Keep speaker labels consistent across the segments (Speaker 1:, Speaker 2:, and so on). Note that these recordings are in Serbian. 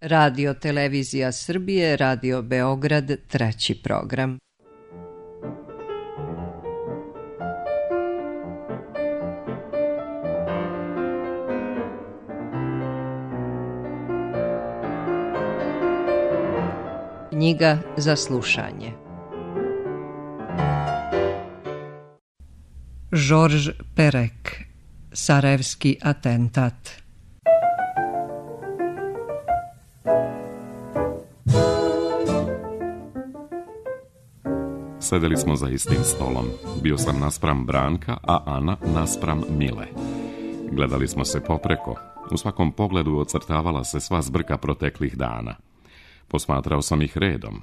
Speaker 1: Radio Televizija Srbije, Radio Beograd, treći program. Knjiga za slušanje. Georges Perec, Sarajevski atentat.
Speaker 2: Sedeli smo za istim stolom. Bio sam naspram Branka, a Ana naspram Mile. Gledali smo se popreko. U svakom pogledu ocrtavala se sva zbrka proteklih dana. Posmatrao sam ih redom.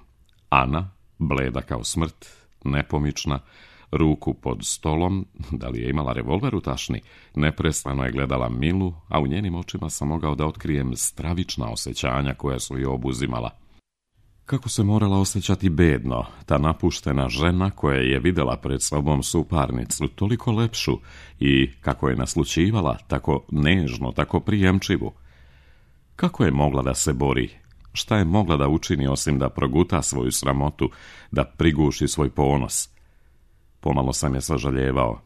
Speaker 2: Ana, bleda kao smrt, nepomična, ruku pod stolom, da li je imala revolver u tašni, neprestano je gledala Milu, a u njenim očima sam mogao da otkrijem stravična osjećanja koja su je obuzimala. Kako se morala osjećati bedno, ta napuštena žena koja je vidjela pred sobom suparnicu, toliko lepšu, i kako je naslućivala, tako nežno, tako prijemčivu. Kako je mogla da se bori? Šta je mogla da učini osim da proguta svoju sramotu, da priguši svoj ponos? Pomalo sam je sažaljevao.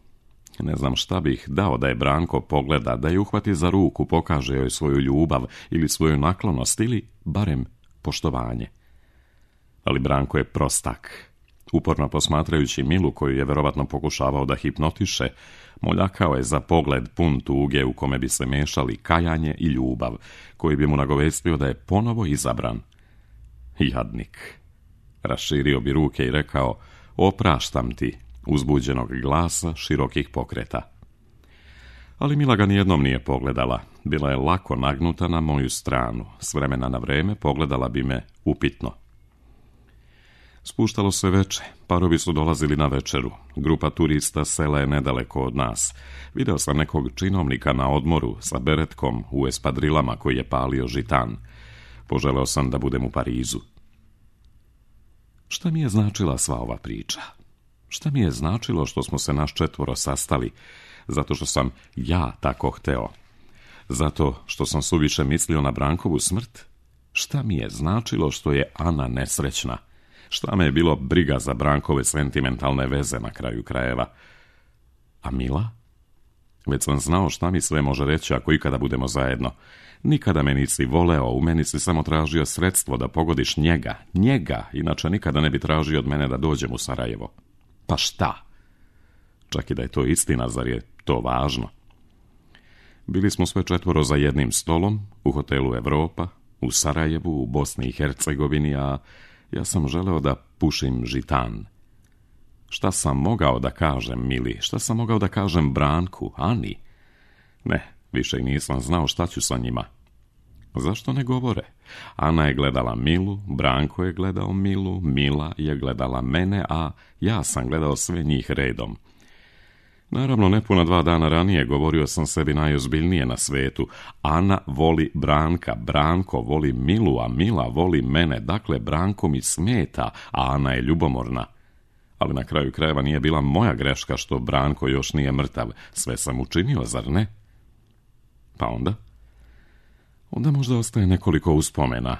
Speaker 2: Ne znam šta bih dao da je Branko pogleda, da je uhvati za ruku, pokaže joj svoju ljubav ili svoju naklonost ili barem poštovanje. Ali Branko je prostak. Uporno posmatrajući Milu, koju je verovatno pokušavao da hipnotiše, moljakao je za pogled pun tuge u kome bi se mešali kajanje i ljubav, koji bi mu nagovestio da je ponovo izabran. Jadnik. Raširio bi ruke i rekao: opraštam ti, uzbuđenog glasa, širokih pokreta. Ali Mila ga nijednom nije pogledala. Bila je lako nagnuta na moju stranu. S vremena na vreme pogledala bi me upitno. Spuštalo se veče, parovi su dolazili na večeru. Grupa turista sela je nedaleko od nas. Video sam nekog činovnika na odmoru sa beretkom u espadrilama koji je palio žitan. Poželeo sam da budem u Parizu. Šta mi je značila sva ova priča? Šta mi je značilo što smo se naš četvoro sastali? Zato što sam ja tako hteo? Zato što sam suviše mislio na Brankovu smrt? Šta mi je značilo što je Ana nesrećna? Šta me je bilo briga za Brankove sentimentalne veze na kraju krajeva? A Mila? Već sam znao šta mi sve može reći ako ikada budemo zajedno. Nikada me nisi voleo, u meni si samo tražio sredstvo da pogodiš njega, inače nikada ne bi tražio od mene da dođem u Sarajevo. Pa šta? Čak i da je to istina, zar je to važno? Bili smo sve četvoro za jednim stolom, u hotelu Evropa, u Sarajevu, u Bosni i Hercegovini, a ja sam želeo da pušim žitan. Šta sam mogao da kažem Mili? Šta sam mogao da kažem Branku, Ani? Ne, više i nisam znao šta ću sa njima. Zašto ne govore? Ana je gledala Milu, Branko je gledao Milu, Mila je gledala mene, a ja sam gledao sve njih redom. Naravno, nepuna 2 dana ranije govorio sam sebi najozbiljnije na svetu. Ana voli Branka, Branko voli Milu, a Mila voli mene. Dakle, Branko mi smeta, a Ana je ljubomorna. Ali na kraju krajeva nije bila moja greška što Branko još nije mrtav. Sve sam učinio, zar ne? Pa onda? Onda možda ostaje nekoliko uspomena.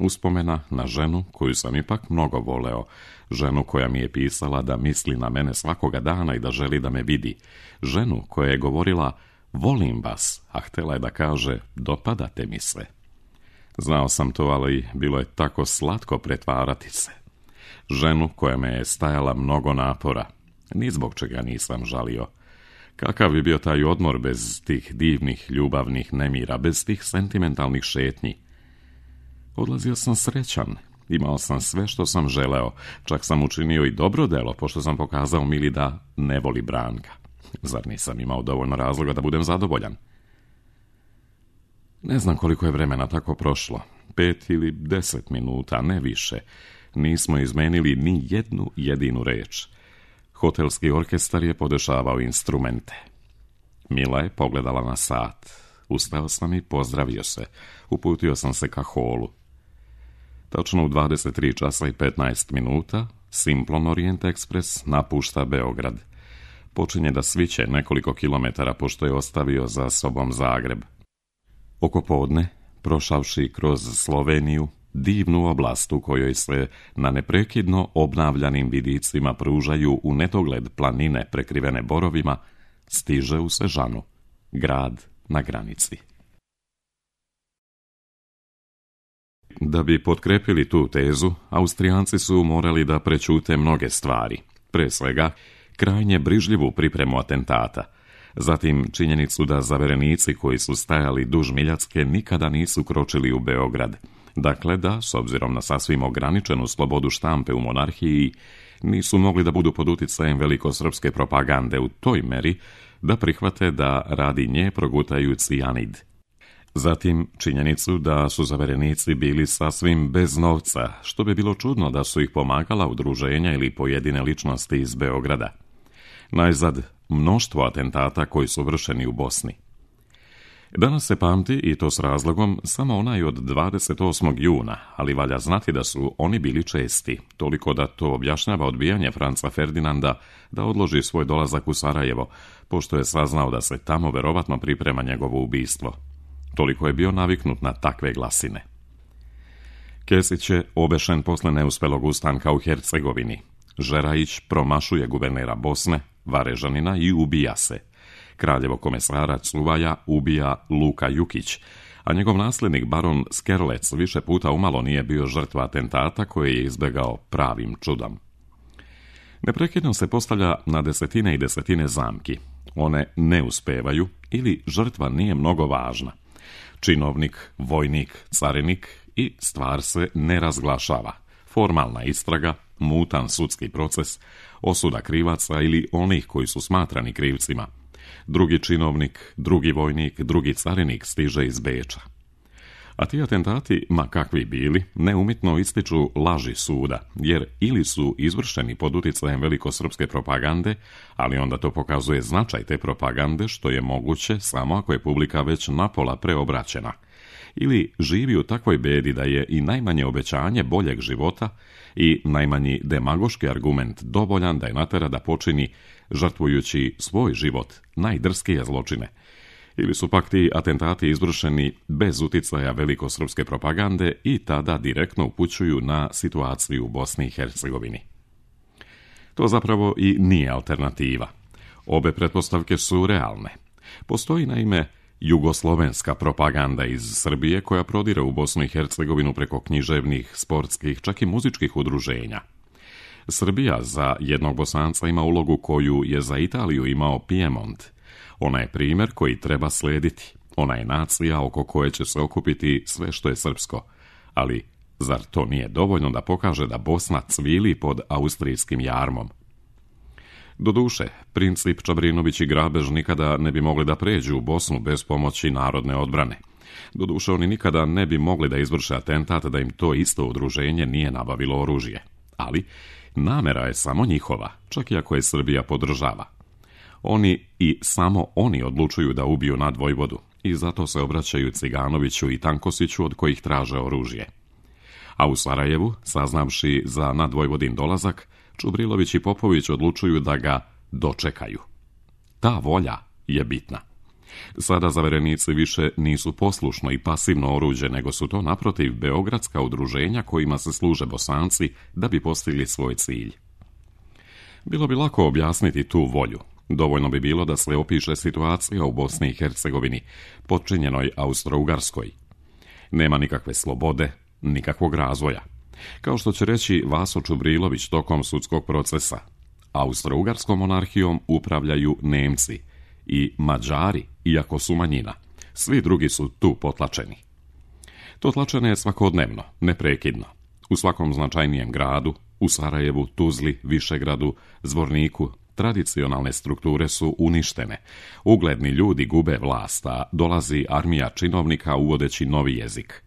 Speaker 2: Uspomena na ženu koju sam ipak mnogo voleo. Ženu koja mi je pisala da misli na mene svakoga dana i da želi da me vidi. Ženu koja je govorila: volim vas, a htjela je da kaže: dopadate mi se. Znao sam to, ali bilo je tako slatko pretvarati se. Ženu koja me je stajala mnogo napora. Ni zbog čega nisam žalio. Kakav bi bio taj odmor bez tih divnih ljubavnih nemira, bez tih sentimentalnih šetnji? Odlazio sam srećan, imao sam sve što sam želeo, čak sam učinio i dobro delo, pošto sam pokazao Mili da ne voli Branka. Zar nisam imao dovoljno razloga da budem zadovoljan? Ne znam koliko je vremena tako prošlo, 5 ili 10 minuta, ne više. Nismo izmenili ni jednu jedinu reč. Hotelski orkestar je podešavao instrumente. Mila je pogledala na sat. Ustao sam i pozdravio se. Uputio sam se ka holu. Točno u 23 časa i 15 minuta Simplon Orient Express napušta Beograd. Počinje da sviće nekoliko kilometara pošto je ostavio za sobom Zagreb. Oko podne prošavši kroz Sloveniju, divnu oblast u kojoj se na neprekidno obnavljanim vidicima pružaju u nedogled planine prekrivene borovima, stiže u Sežanu, grad na granici. Da bi potkrepili tu tezu, Austrijanci su morali da prećute mnoge stvari, pre svega krajnje brižljivu pripremu atentata, zatim činjenicu da zaverenici koji su stajali duž Miljacke nikada nisu kročili u Beograd, dakle da, s obzirom na sasvim ograničenu slobodu štampe u monarhiji, nisu mogli da budu pod uticajem velikosrpske propagande u toj meri da prihvate da radi nje progutaju cijanid. Zatim činjenicu da su zaverenici bili sasvim bez novca, što bi bilo čudno da su ih pomagala udruženja ili pojedine ličnosti iz Beograda. Najzad, mnoštvo atentata koji su vršeni u Bosni. Danas se pamti, i to s razlogom, samo onaj od 28. juna, ali valja znati da su oni bili česti, toliko da to objašnjava odbijanje Franca Ferdinanda da odloži svoj dolazak u Sarajevo, pošto je saznao da se tamo verovatno priprema njegovo ubistvo. Toliko je bio naviknut na takve glasine. Kesić je obešen posle neuspelog ustanka u Hercegovini. Žerajić promašuje guvernera Bosne, Varežanina, i ubija se. Kraljevo komesara Cuvaja ubija Luka Jukić, a njegov nasljednik baron Skerlec više puta umalo nije bio žrtva atentata koje je izbegao pravim čudom. Neprekidno se postavlja na desetine i desetine zamki. One ne uspevaju ili žrtva nije mnogo važna. Činovnik, vojnik, carinik i stvar se ne razglašava. Formalna istraga, mutan sudski proces, osuda krivaca ili onih koji su smatrani krivcima. Drugi činovnik, drugi vojnik, drugi carinik stiže iz Beča. A ti atentati, ma kakvi bili, neumitno ističu laži suda, jer ili su izvršeni pod uticajem velikosrpske propagande, ali onda to pokazuje značaj te propagande, što je moguće samo ako je publika već napola preobraćena, ili živi u takvoj bedi da je i najmanje obećanje boljeg života i najmanji demagoški argument dovoljan da je natera da počini, žrtvujući svoj život, najdrskije zločine. Ili su pak ti atentati izvršeni bez uticaja velikosrpske propagande i tada direktno upućuju na situaciju u Bosni i Hercegovini. To zapravo i nije alternativa. Obe pretpostavke su realne. Postoji naime jugoslovenska propaganda iz Srbije koja prodire u Bosnu i Hercegovinu preko književnih, sportskih, čak i muzičkih udruženja. Srbija za jednog Bosanca ima ulogu koju je za Italiju imao Piemont. Ona je primjer koji treba slediti. Ona je nacija oko koje će se okupiti sve što je srpsko. Ali zar to nije dovoljno da pokaže da Bosna cvili pod austrijskim jarmom? Doduše, princip Čabrinović i Grabež nikada ne bi mogli da pređu u Bosnu bez pomoći narodne odbrane. Doduše, oni nikada ne bi mogli da izvrše atentat da im to isto udruženje nije nabavilo oružje. Ali namera je samo njihova, čak i ako je Srbija podržava. Oni i samo oni odlučuju da ubiju nadvojvodu i zato se obraćaju Ciganoviću i Tankosiću od kojih traže oružje. A u Sarajevu, saznavši za nadvojvodin dolazak, Čubrilović i Popović odlučuju da ga dočekaju. Ta volja je bitna. Sada zaverenici više nisu poslušno i pasivno oruđe, nego su to naprotiv beogradska udruženja kojima se služe Bosanci da bi postigli svoj cilj. Bilo bi lako objasniti tu volju. Dovoljno bi bilo da se opiše situacija u Bosni i Hercegovini, potčinjenoj Austro-Ugarskoj. Nema nikakve slobode, nikakvog razvoja. Kao što će reći Vaso Čubrilović tokom sudskog procesa, Austro-Ugarskom monarhijom upravljaju Nemci i Mađari, iako su manjina. Svi drugi su tu potlačeni. To tlačenje je svakodnevno, neprekidno. U svakom značajnijem gradu, u Sarajevu, Tuzli, Višegradu, Zvorniku, tradicionalne strukture su uništene. Ugledni ljudi gube vlast, a dolazi armija činovnika uvodeći novi jezik.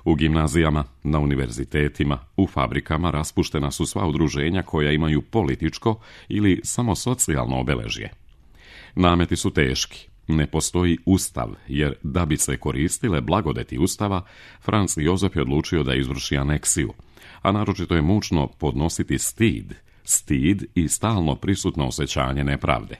Speaker 2: U gimnazijama, na univerzitetima, u fabrikama raspuštena su sva udruženja koja imaju političko ili samo socijalno obeležje. Nameti su teški. Ne postoji ustav, jer da bi se koristile blagodeti ustava, Franc Jozef je odlučio da izvrši aneksiju, a naročito je mučno podnositi stid i stalno prisutno osjećanje nepravde.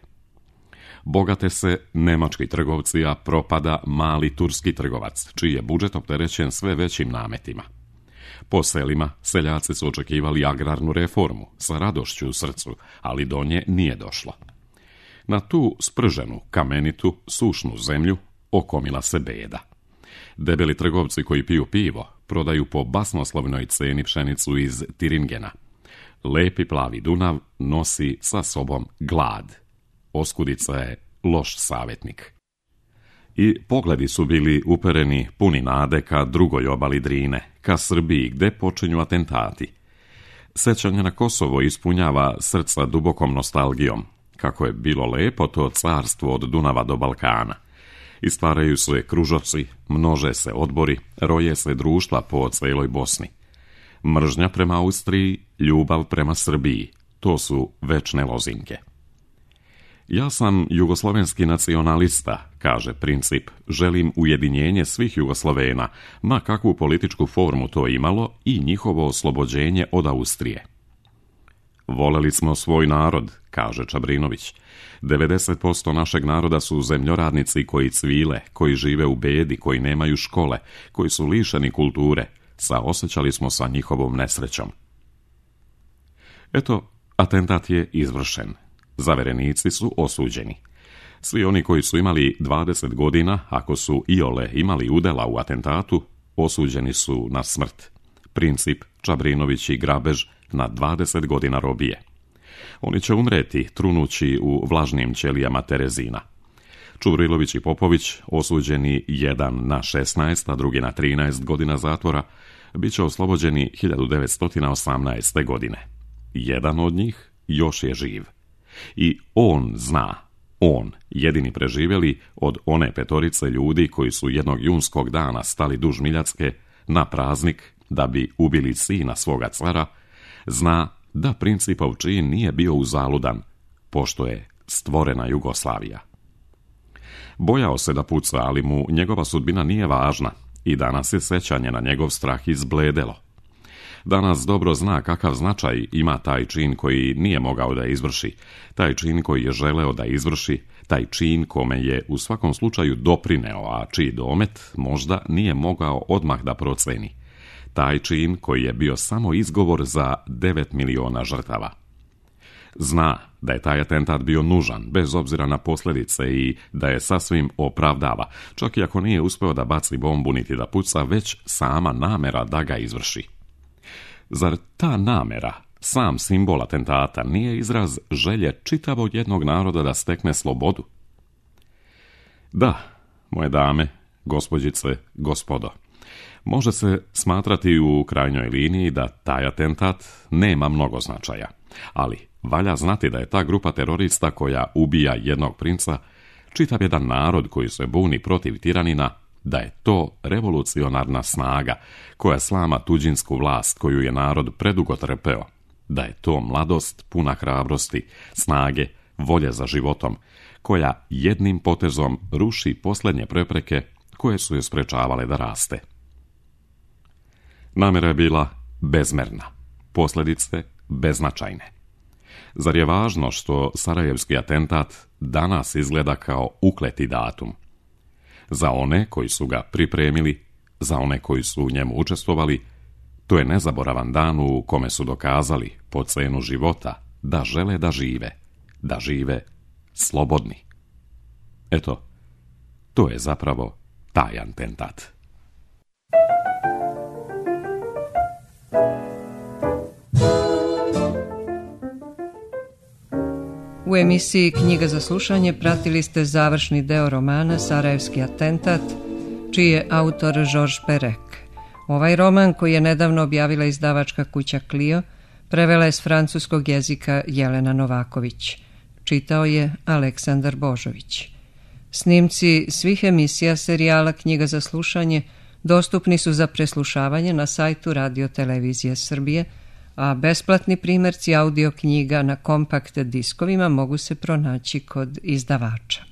Speaker 2: Bogate se nemački trgovci, a propada mali turski trgovac, čiji je budžet opterećen sve većim nametima. Po selima seljaci su očekivali agrarnu reformu sa radošću u srcu, ali do nje nije došlo. Na tu sprženu, kamenitu, sušnu zemlju okomila se beda. Debeli trgovci koji piju pivo prodaju po basnoslovnoj ceni pšenicu iz Tiringena. Lepi plavi Dunav nosi sa sobom glad. Oskudica je loš savjetnik. I pogledi su bili upereni puni nade ka drugoj obali Drine, ka Srbiji gde počinju atentati. Sećanje na Kosovo ispunjava srca dubokom nostalgijom, kako je bilo lepo to carstvo od Dunava do Balkana. Istvaraju se kružoci, množe se odbori, roje se društva po celoj Bosni. Mržnja prema Austriji, ljubav prema Srbiji, to su večne lozinke. Ja sam jugoslovenski nacionalista, kaže Princip, želim ujedinjenje svih Jugoslovena, ma kakvu političku formu to imalo, i njihovo oslobođenje od Austrije. Voleli smo svoj narod, kaže Čabrinović. 90% našeg naroda su zemljoradnici koji cvile, koji žive u bedi, koji nemaju škole, koji su lišeni kulture. Saosećali smo sa njihovom nesrećom. Eto, atentat je izvršen. Zaverenici su osuđeni. Svi oni koji su imali 20 godina, ako su iole imali udela u atentatu, osuđeni su na smrt. Princip, Čabrinović i Grabež na 20 godina robije. Oni će umreti trunući u vlažnim ćelijama Terezina. Čuvrilović i Popović, osuđeni jedan na 16, a drugi na 13 godina zatvora, bit će oslobođeni 1918. godine. Jedan od njih još je živ. I on zna, on, jedini preživjeli od one petorice ljudi koji su jednog junskog dana stali duž Miljacke na praznik da bi ubili sina svoga cara, zna da Principov čin nije bio uzaludan, pošto je stvorena Jugoslavija. Bojao se da puca, ali mu njegova sudbina nije važna i danas je sećanje na njegov strah izbledelo. Danas dobro zna kakav značaj ima taj čin koji nije mogao da izvrši, taj čin koji je želeo da izvrši, taj čin kome je u svakom slučaju doprineo, a čiji domet možda nije mogao odmah da proceni. Taj čin koji je bio samo izgovor za 9 miliona žrtava. Zna da je taj atentat bio nužan, bez obzira na posljedice, i da je sasvim opravdava, čak i ako nije uspeo da baci bombu niti da puca, već sama namera da ga izvrši. Zar ta namera, sam simbol atentata, nije izraz želje čitavog jednog naroda da stekne slobodu? Da, moje dame, gospođice, gospodo, može se smatrati u krajnjoj liniji da taj atentat nema mnogo značaja, ali valja znati da je ta grupa terorista koja ubija jednog princa, čitav jedan narod koji se buni protiv tiranina, da je to revolucionarna snaga koja slama tuđinsku vlast koju je narod predugo trpeo, da je to mladost puna hrabrosti, snage, volje za životom, koja jednim potezom ruši posljednje prepreke koje su je sprečavale da raste. Namera je bila bezmerna, posljedice beznačajne. Zar je važno što sarajevski atentat danas izgleda kao ukleti datum? Za one koji su ga pripremili, za one koji su u njemu učestvovali, to je nezaboravan dan u kome su dokazali po cenu života da žele da žive slobodni. Eto, to je zapravo taj atentat.
Speaker 1: U emisiji Knjiga za slušanje pratili ste završni deo romana Sarajevski atentat, čiji je autor Georges Perec. Ovaj roman, koji je nedavno objavila izdavačka kuća Clio, prevela je s francuskog jezika Jelena Novaković. Čitao je Aleksandar Božović. Snimci svih emisija serijala Knjiga za slušanje dostupni su za preslušavanje na sajtu Radio Televizije Srbije, a besplatni primjerci audio knjiga na kompakt diskovima mogu se pronaći kod izdavača.